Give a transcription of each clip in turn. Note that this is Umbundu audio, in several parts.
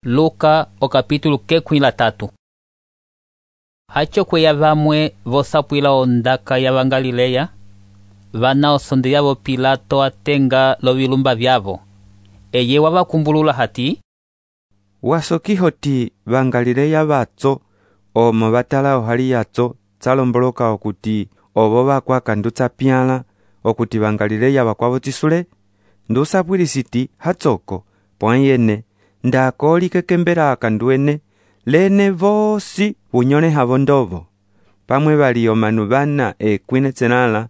Luka o capítulo 13. Hacho kweya vamwe vosapwila ondaka ya Galileia, vana osonde yavo Pilato atenga lovilumba vyavo. Eye wavakumbulula hati: wasokihoti Galileia vatso omo vatala ohali yatso tsalomboloka okuti ovo vakwakandutsa pyala okuti Galileia vakwavo tisule ndusapwilisiti hatsoko pwanyene ndakolike kembera akanduene lene vosi unyone havo ndovo pamwe vali omanu vana ekwine tsenala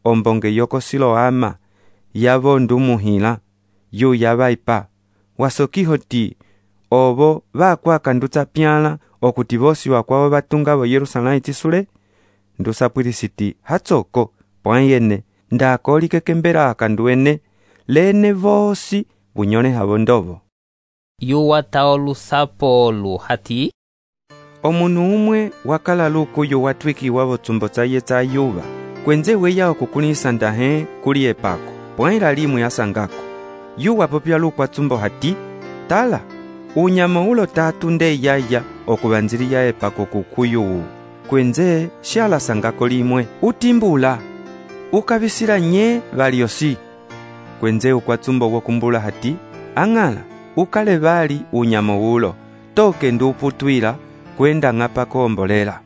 ombonge yoko Siloama yavo ndumuhila yu yavaipa wasokihoti ovo vakwakandutsa pyala okuti vosi wakwavo vatunga vo Yerusalemu tisule ndusapwilisiti hatsoko pwanyene ndakolike kembera akanduene lene vosi unyone havo ndovo. Yuwa taolusapo olu hati: omunu umwe wakala lukuyu watwikiwa votsumbo tsaye tsa yuva kwenze weya okukulisa ndahe kuli epako pwaila limwe asangako yuwa popya lukwa tsumbo hati: tala unyama ulo tatu nde yaya okuvanziliya epako kukuyu kwenze shala sangako limwe utimbula ukavisila nye valiosi kwenze ukwa tsumbo wokumbula hati: ang'ala ukale vali unyama ulo toke nduputwila kwenda ng'apako ombolela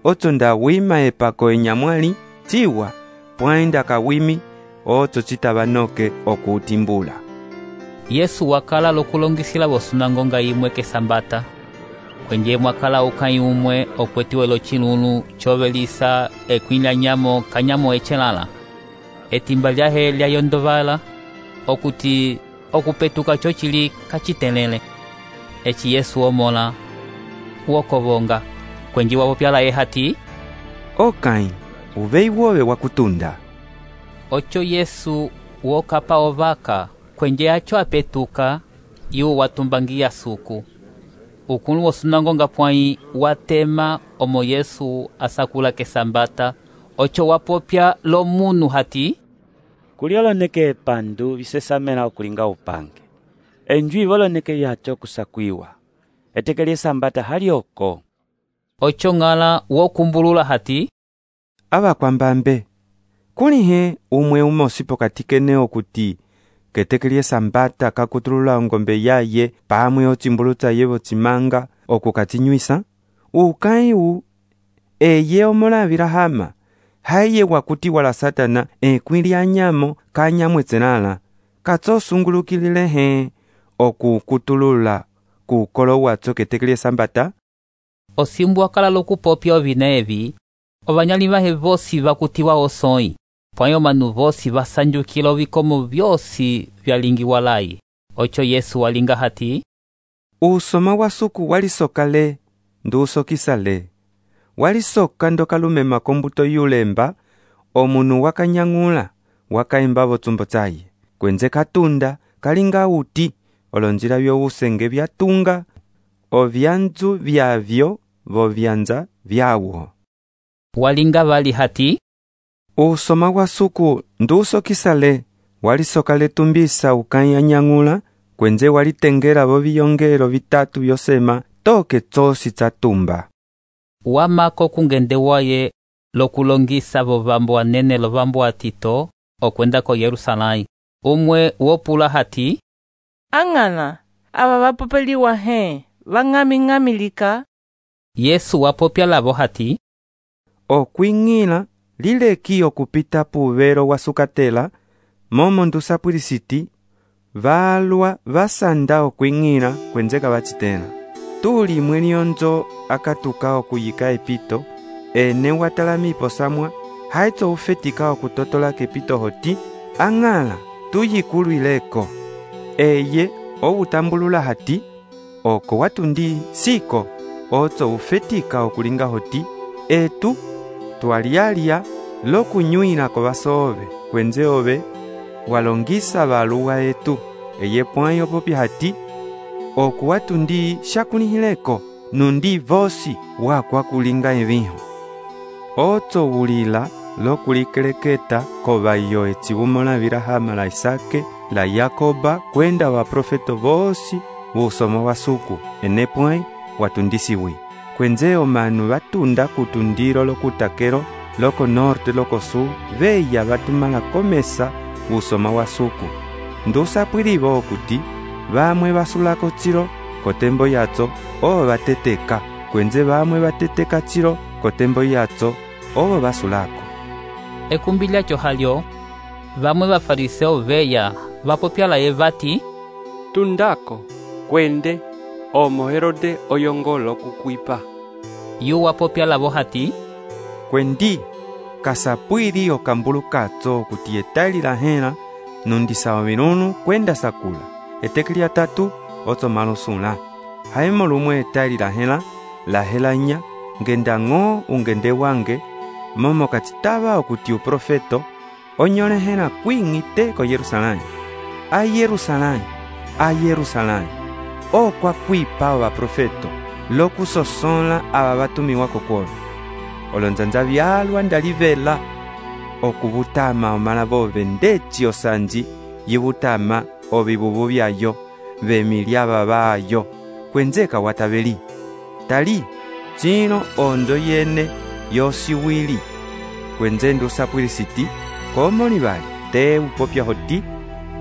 otso nda wima epako enyamwali tiwa pwaenda kawimi otso citavanoke okutimbula. Yesu wakala lokulongisila vosunangonga imwe kesambata kwenye mwakala ukai umwe okwetiwelo chilulu chovelisa ekwila nyamo kanyamo echelala etimba lyahe lyayondovala okuti okupetuka chochili kachitelele eci Yesu omola wokovonga kwenji wavo pyala hati: okai uvei wove wakutunda. Ocho Yesu wokapa ovaka kwenje acho apetuka yu watumbangia suku ukulu wosunangonga pwai watema omo Yesu asakula kesambata ocho wapopya lo munu hati: kulioloneke epandu visesamela okulinga upange enjwi voloneke yacho kusakwiwa etekeli esambata halioko. Ocho ng'ala wokumbulula hati: avakwambambe kulihe umwe umosi pokati kene okuti ketekeli esambata kakutulula ongombe yaye pamwe otsimbulutsa yevo tsimanga okukatinywisa ukaiu eye omolavila hama haye wakuti wala Satana ekwilya nyamo kanyamwe tsenala katsosungulukilehe okukutulula kukolo watso ketekeli esambata. Osimbu wakala lokupopya ovina evi ovanyali vahe vosi vakutiwa osoi pwayo omanu vosi vasanjukila ovikomo vyosi vyalingiwa layi. Ocho Yesu walinga hati: usoma wasuku walisokale ndusokisale walisoka ndokalumema kombuto yulemba omunu wakanyang'ula wakaimba votsumbo tsaye kwenze katunda kalinga uti olonjila vyousenge vyatunga ovyanzu vyavyo vovyanza vyawo. Walinga vali hati: usoma wasuku ndusokisale walisokale tumbisa ukanyang'ula kwenze walitengela voviyongelo vitatu vyosema toke tsosi tsatumba. Wamako kungende waye lokulongisa vovambo anene lovambo atito okwenda ko Yerusalemu umwe wopula hati: ang'ana ava vapopeliwa he vang'aming'amilika. Yesu wapopya lavo hati: okwing'ila lileki okupita puvero wasukatela momo ndusapwilisiti valwa vasanda okwing'ila kwenze kavacitela tuli mwelionzo akatuka okuyika epito ene watalamipo samwa haitso ufetika okutotola kepito hoti ang'ala tuyikulwileko eye owutambulula hati oko watundi siko otso ufetika okulinga hoti etu twalialya lokunywila ko vasove kwenze ove walongisa valuwa etu eye pwayo popya hati okuwatundi shakulihileko nundi vosi wakwa kulinga eviho otso wulila lokulikeleketa kovayo etsibumola vilahama la Isake la Yakoba kwenda vaprofeto vosi usomo wa suku enepwai watundisiwi. Kwenze omanu batunda kutundiro lokutakero loko norte loko sul veya batumala komesa usoma wa suku. Ndusa pwiribo okuti bamwe basulako tsiro kotembo yatso obo bateteka, kwenze bamwe bateteka tsiro kotembo yatso obo basulako. Ekumbi lyacho halyo bamwe bafariseo veya bapopyalaye bati, tundako kwende omo Herode oyongolo kukwipa. yu wapopyalabo hati, Kwendi kasapwiri okambulu katso kuti etali lahela nundisawa minunu kwenda sakula. Etekeli atatu otsomalo sula. Haimo lumwe etali lahela nya ngenda ng'o ungende wange momo katitaba okuti uprofeto onyolehela kwing'ite ko Yerusalani. A Yerusalani okwa kwipa abaprofeto lokusosola aba batumiwa kokolo. Olonzanza byalwa ndalivela okubutama omala bove ndeci osanji yibutama obibubu byayo bemilya babayo kwenzeka watabeli. Tali chino onzo yene yosiwili kwenze ndusapwirisiti komoli bali te upopya hoti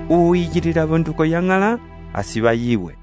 uyigirira bonduko yang'ala asiba yiwe.